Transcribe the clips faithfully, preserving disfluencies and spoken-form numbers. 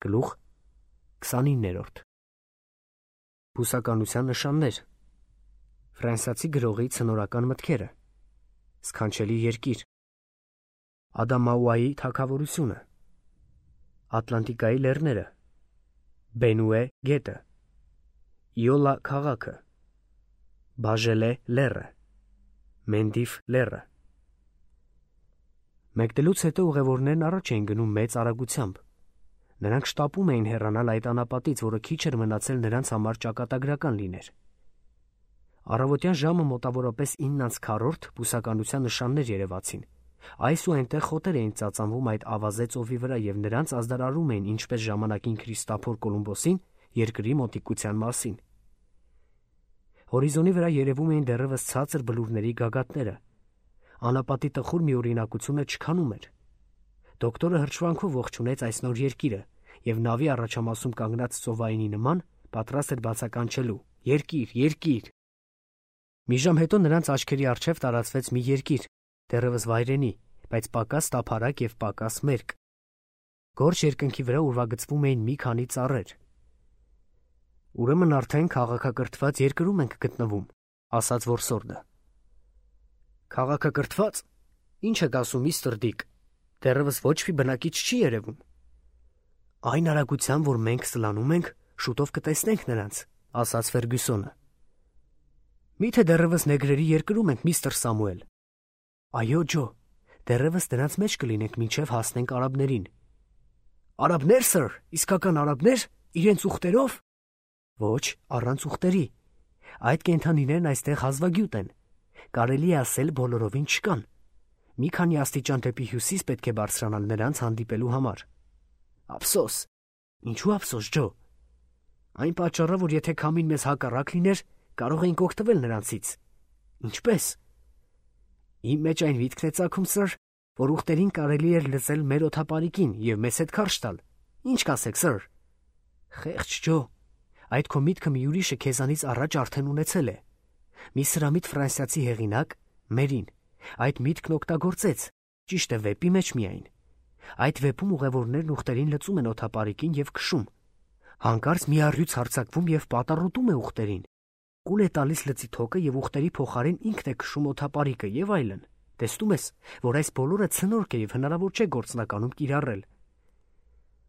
Գլուխ քսանիններորդ Բուսականության նշաններ Ֆրանսիացի գրողի ցնորական մտքերը Սքանչելի երկիր Ադամաուայի թագավորությունը Ատլանտիկայի լեռները Բենուե գետը Իոլա քաղաքը Բաժելե լեռը Մենդիֆ լեռը Մեկնելուց հետո ուղևորներն առաջ էին գնում մեծ արագությամբ. նրանք շտապում էին հեռանալ այդ անապատից, որը քիչ էր մնացել նրանց համար ճակատագրական լիներ. Առավոտյան ժամը մոտավորապես ինը անց քառորդ բուսականության նշաններ երևացին. այս ու այնտեղ խոտեր էին ծածանվում այդ ավազե ծովի վրա և նրանց ազդարարում էին ինչպես ժամանակին Քրիստոֆոր Կոլումբոսին երկրի մոտիկության մասին. Հորիզոնի վրա երևում էին դեռևս ցածր բլուրների գագաթները. Անապատի տխուր մի օրինակությունը չքանում էր. Դոկտորը հրճվանքով ողջունեց այս նոր երկիրը և նավի առաջամասում կանգնած ծովայինի նման պատրաստ էր բացականչելու. «Երկիր, երկիր»։ Մի ժամ հետո նրանց աչքերի առջև տարածվեց մի երկիր, դեռևս վայրենի, բայց պակաս տափարակ և պակաս մերկ. Գորշ երկնքի վրա ուրվագծվում էին մի քանի ծառեր. «Ուրեմն արդեն քաղաքակրթված երկրում ենք գտնվում», ասաց որսորդը. «Քաղաքակրթված, ի՞նչ եք ասում, միստր Դիկ, դեռևս ոչ մի բնակիչ չի երևում»։ «Այն արագությամբ, որ մենք սլանում ենք, շուտով կտեսնենք նրանց», ասաց Ֆերգյուսոնը։ «Մի՞թե դեռևս նեգրերի երկրում ենք, միստր Սամուել»։ «Այո, Ջո, դեռևս նրանց մեջ կլինենք, մինչև հասնենք արաբներին»։ «Արաբնե՞ր, սըր, իսկական արաբնե՞ր, իրենց ուղտերով»։ «Ոչ, առանց ուղտերի. այդ կենդանիներն այստեղ հազվագյուտ են, կարելի է ասել բոլորովին չկան. մի քանի աստիճան դեպի հյուսիս պետք է բարձրանալ նրանց հանդիպելու համար»։ «Ափսոս»։ «Ինչու ափսոս, Ջո»։ «Այն պատճառով, որ եթե քամին մեզ հակառակ լիներ, կարող էինք օգտվել նրանցից»։ «Ինչպե՞ս»։ «Իմ մեջ այն միտքն է ծագում, սըր, որ ուղտերին կարելի էր լծել մեր օդապարիկին և մեզ հետ քարշ տալ. ինչ կասեք, սըր»։ «Խեղճ Ջո, այդ քո միտքը մի ուրիշը քեզանից առաջ արդեն ունեցել է. մի սրամիտ ֆրանսիացի հեղինակ, Մերին, այդ միտքն օգտագործեց, ճիշտ է, վեպի մեջ միայն. այդ վեպում ուղևորներն ուղտերին լծում են օդապարիկին և քշում. հանկարծ մի առյուծ հարձակվում և պատառոտում է ուղտերին. կուլ է տալիս լծի թոկը և ուղտերի փոխարեն ինքն է քշում օդապարիկը և այլն. տեսնում ես, որ այս բոլորը ցնորք է և հնարավոր չէ գործնականում կիրառել»։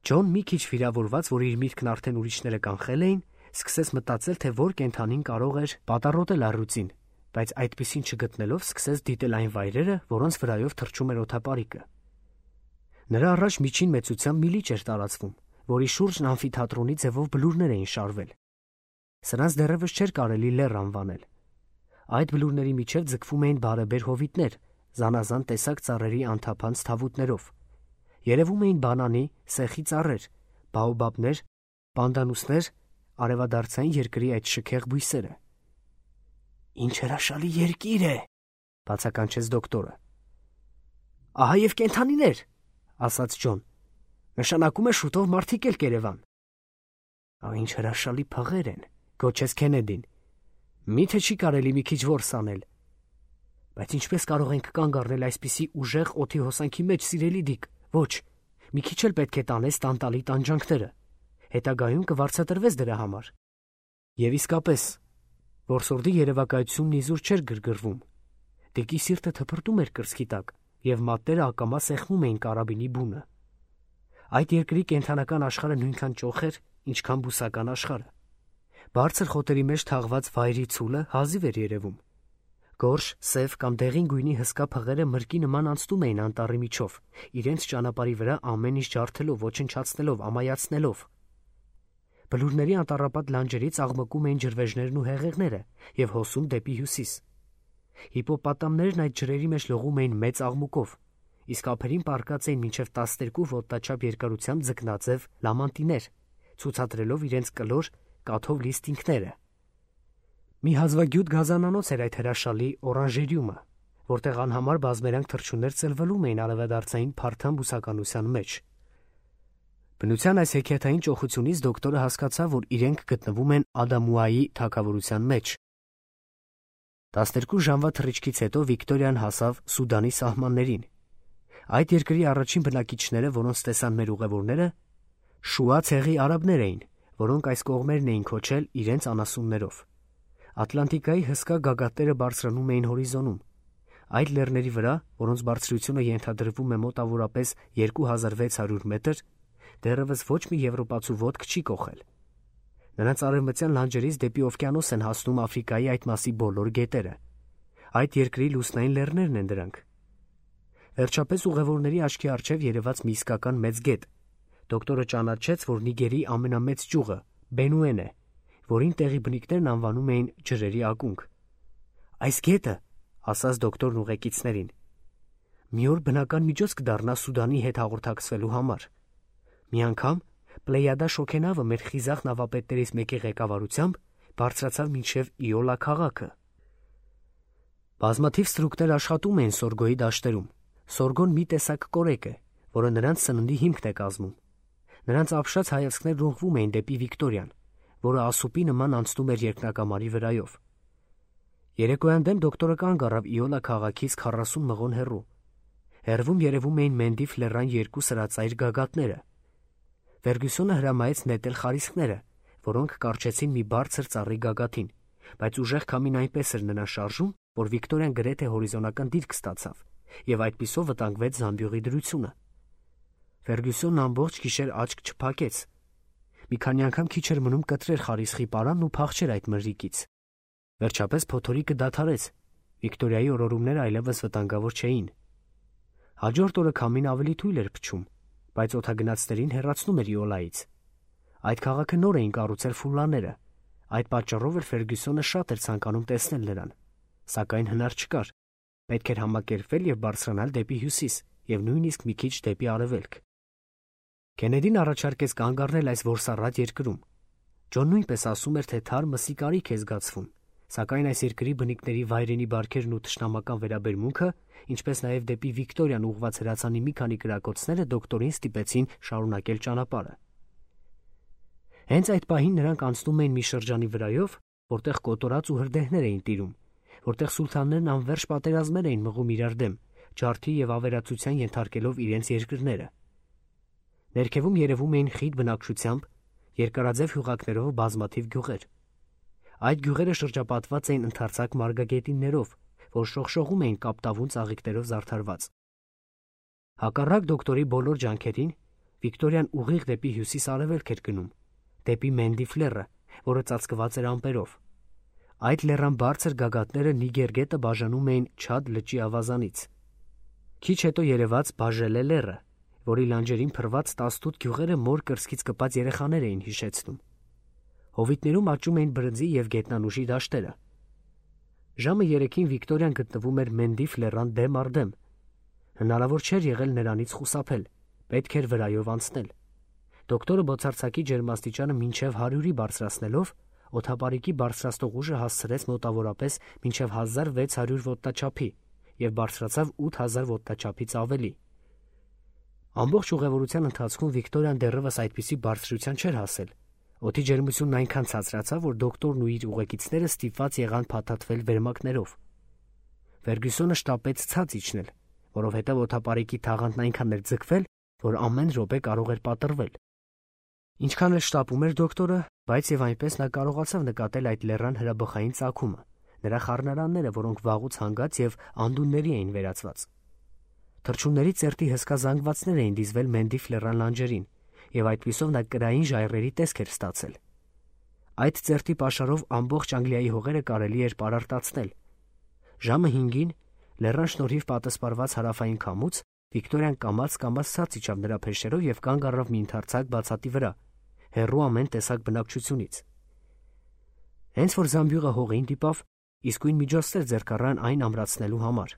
Ջոն մի քիչ վիրավորված, որ իր միտքն արդեն ուրիշները կանխել էին, սկսեց մտածել, թե որ կենդանին կարող էր պատառոտել առյուծին, բայց այդպիսին չգտնելով սկսեց դիտել այն վայրերը, որոնց վրայով թռչում էր օդապարիկը։ Նրա առաջ միջին մեծությամբ մի լիճ էր տարածվում, որի շուրջն ամֆիթատրոնի ձևով բլուրներ էին շարվել. Սրանց դեռևս չէր կարելի լեռ անվանել. այդ բլուրների միջև ձգվում էին բարեբեր հովիտներ, զանազան տեսակ ծառերի անթափանց թավուտներով. երևում էին բանանի, սեխի ծառեր, բաոբաբներ, պանդանուսներ, արևադարձային երկրի այդ շքեղ բույսերը։ «Ինչ հրաշալի երկիր է», բացականչեց դոկտորը։ «Ահա և կենդանիներ», ասաց Ջոն. «նշանակում է շուտով մարդիկ էլ կերևան»։ «Ինչ հրաշալի փղեր են», գոչեց Քենեդին։ «Մի՞թե չի կարելի մի քիչ որս անել»։ «Բայց ինչպես կարող ենք կանգ առնել այսպիսի ուժեղ օդի հոսանքի մեջ, սիրելի Դիկ, ոչ, մի քիչ էլ պետք է տանես տանտալի տանջանքները, հետագայում կվարձատրվես դրա համար»։ Եվ իսկապես, որսորդի երևակայությունն իզուր չէր գրգռվում. Դիկի սիրտը թփրտում էր կրծքի տակ, և մատները ակամա սեղմում էին կարաբինի բունը։ Այդ երկրի կենդանական աշխարհը նույնքան ճոխ էր, ինչքան բուսական աշխարհը։ Բարձր խոտերի մեջ թաղված վայրի ցուլը հազիվ էր երևում. գորշ, սև կամ դեղին գույնի հսկա փղերը մրգի նման անցնում էին անտառի միջով, իրենց ճանապարհի վրա ամեն ինչ ջարդելով, ոչնչացնելով, ամայացնելով։ Բլուրների անտառապատ լանջերից աղմկում էին ջրվեժներն ու հեղեղները և հոսում դեպի հյուսիս։ Հիպոպոտամներն այդ ջրերի մեջ լողում էին մեծ աղմուկով, իսկ ափերին պառկած էին մինչև տասներկու ոտնաչափ երկարությամբ ձկնաձև լամանտիներ, ցուցադրելով իրենց կլոր, կաթով լի ստինգները։ Մի հազվագյուտ գազանանոց էր այդ հրաշալի օրանժերիումը, որտեղ անհամար բազմերանգ թռչուններ ծլվելում էին արևադարձային փարթամ բուսականության մեջ։ Բնության այս հեքիաթային ճոխությունից դոկտորը հասկացավ, որ իրենք գտնվում են Ադամուայի թագավորության մեջ։ տասներկու ժամվա թռիչքից հետո Վիկտորիան հասավ Սուդանի սահմաններին։ Այդ երկրի առաջին բնակիչները, որոնց տեսան մեր ուղևորները, Շուա ցեղի արաբներ էին, որոնք այս կողմերն էին քոչել իրենց անասուններով։ Ատլանտիկայի հսկա գագաթները բարձրանում էին հորիզոնում։ Այդ լեռների վրա, որոնց բարձրությունը ենթադրվում է մոտավորապես երկու հազար վեց հարյուր մետր, դեռևս ոչ մի եվրոպացու ոտք չի կոխել։ Նրանց արևմտյան լանջերից դեպի օվկիանոս են հասնում Աֆրիկայի այդ մասի բոլոր գետերը։ Այդ երկրի լուսնային լեռներն են դրանք։ Վերջապես ուղևորների աչքի առջև երևաց մի իսկական մեծ գետ։ Դոկտորը ճանաչեց, որ Նիգերի ամենամեծ ճյուղը Բենուեն է, որին տեղի բնիկներն անվանում էին ջրերի ակունք։ Այս գետը, ասաց դոկտորն ուղեկիցներին, մի օր բնական միջոց կդառնա Սուդանի հետ հաղորդակցվելու համար։ Մի անգամ Պլեյադա շոգենավը մեր խիզախ նավապետներից մեկի ղեկավարությամբ բարձրացավ մինչև Իոլա քաղաքը։ Բազմաթիվ ստրուկներ աշխատում էին Սորգոյի դաշտերում։ Սորգոն մի տեսակ կորեկ է, որը նրանց սննդի հիմքն է կազմում։ Նրանց ապշած հայացքներն ուղղվում էին դեպի Վիկտորիան, որը ասուպի նման անցնում էր երկնակամարի վրայով։ Երեկոյան դեմ դոկտորը կանգ առավ Իոլա քաղաքից քառասուն մղոն հեռու։ Հեռվում երևում էին Մենդիֆ լեռան երկու սրածայր գագաթները։ Ֆերգյուսոնը հրամայեց նետել խարիսքները, որոնք կարճեցին մի բարձր ծառի գագաթին, բայց ուժեղ քամին այնպես էր նրան շարժում, որ Վիկտորիան գրեթե հորիզոնական դիրք ստացավ, եւ այդպիսով վտանգվեց զամբյուղի դրությունը։ Ֆերգյուսոնն ամբողջ գիշեր աչք չփակեց։ Մի քանի անգամ քիչ էր մնում կտրեր խարիսխի պարանն ու փախչեր այդ մրրիկից։ Վերջապես փոթորիկը դադարեց։ Վիկտորիայի օրորումները այլևս վտանգավոր չէին։ Հաջորդ օրը քամին ավելի թույլ էր փչում, բայց օդագնացներին հեռացնում էր Իոլայից։ Այդ քաղաքը նոր էին կառուցել ֆուլլաները։ Այդ պատճառով էր Ֆերգյուսոնը շատ էր ցանկանում տեսնել նրան, սակայն հնար չկար։ Պետք էր համակերպվել եւ բարձրանալ դեպի հյուսիս եւ նույնիսկ մի քիչ դեպի արևելք։ Քենեդին առաջարկեց կանգ առնել այս որսառատ երկրում։ Ջոն նույնպես ասում էր, թե թարմ մսի կարիք է զգացվում, սակայն այս երկրի բնիկների վայրենի բարքերն ու թշնամական վերաբերմունքը, ինչպես նաև դեպի Վիկտորիան ուղղված հրացանի մի քանի կրակոցները դոկտորին ստիպեցին շարունակել ճանապարհը։ Հենց այդ պահին նրանք անցնում էին մի շրջանի վրայով, որտեղ կոտորած ու հրդեհներ էին տիրում, որտեղ սուլթաններն անվերջ պատերազմներ էին մղում իրար դեմ, ջարդի եւ ավերածության ենթարկելով իրենց երկրները։ Ներքևում երևում էին խիտ բնակչությամբ, երկարաձև հյուղակներով բազմաթիվ գյուղեր։ Այդ գյուղերը շրջապատված էին ընդարձակ մարգագետիններով, որ շողշողում էին կապտավուն ծաղիկներով զարդարված։ Հակառակ դոկտորի բոլոր ջանքերին Վիկտորիան ուղիղ դեպի հյուսիս-արևելք էր գնում, դեպի Մենդիֆ լեռը, որը ծածկված էր ամպերով։ Այդ լեռան բարձր գագաթները Նիգեր գետը բաժանում էին Չադ լճի ավազանից։ Քիչ հետո երևաց Բաժելե լեռը, որի լանջերին փռված տասնութ գյուղերը մոր կրծքից կպած երեխաներ էին հիշեցնում։ Հովիտներում աճում էին բրնձի եւ գետնանուշի դաշտերը։ Ժամը երեքին Վիկտորիան գտնվում էր Մենդիֆ լեռան դեմ առ դեմ։ Հնարավոր չէր եղել նրանից խուսափել, պետք էր վրայով անցնել։ Դոկտորը բոցարցակի ջերմաստիճանը մինչև հարյուրի բարձրացնելով, օդապարիկի բարձրացնող ուժը հասցրեց մոտավորապես մինչև հազար վեց հարյուր ոտնաչափի եւ բարձրացավ ութ հազար ոտնաչափից ավելի։ Ամբողջ ուղևորության ընթացքում Վիկտորիան դեռևս այդպիսի բարձրության չէր հասել։ Օդի ջերմությունն այնքան ցածրացավ, որ դոկտորն ու իր ուղեկիցները ստիպված եղան փաթաթվել վերմակներով։ Ֆերգյուսոնը շտապեց ցած իջնել, որովհետև օդապարիկի թաղանթն այնքան էր ձգվել, որ ամեն րոպե կարող էր պատռվել։ Ինչքան էլ շտապում էր դոկտորը, բայց եւ այնպես նա կարողացավ նկատել այդ լեռան հրաբխային ծագումը, նրա խառնարանները, որոնք վաղուց հանգած եւ անդունների էին վերածված։ Թռչունների ծերտի հսկա զանգվածներ էին դիզվել Մենդիֆ լեռան լանջերին, եւ այդպիսով նա կրային ժայռերի տեսք էր ստացել։ Այդ ծերտի պաշարով ամբողջ Անգլիայի հողերը կարելի էր պարարտացնել։ Ժամը հինգին, լեռան շնորհիվ պատասպարված հարավային քամուց, Վիկտորիան կամաց-կամաց ցած իջավ նրա փեշերով եւ կանգ առավ մի ընդարձակ բացատի վրա, հեռու ամեն տեսակ բնակչությունից։ Հենց որ զամբյուղը հողին դիպավ, իսկույն միջոցներ ձեռք առան այն ամրացնելու համար։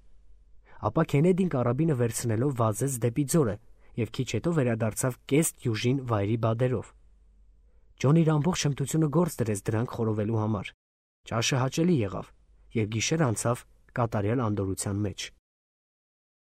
Ապա Քենեդին կարաբինը վերցնելով վազեց դեպի ձորը եւ քիչ հետո վերադարձավ կես դյուժին վայրի բադերով։ Ջոնի իր ամբողջ հմտությունը գործ դրեց դրանք խորովելու համար։ Ճաշը հաճելի եղավ եւ գիշեր անցավ կատարյալ անդորրության մեջ։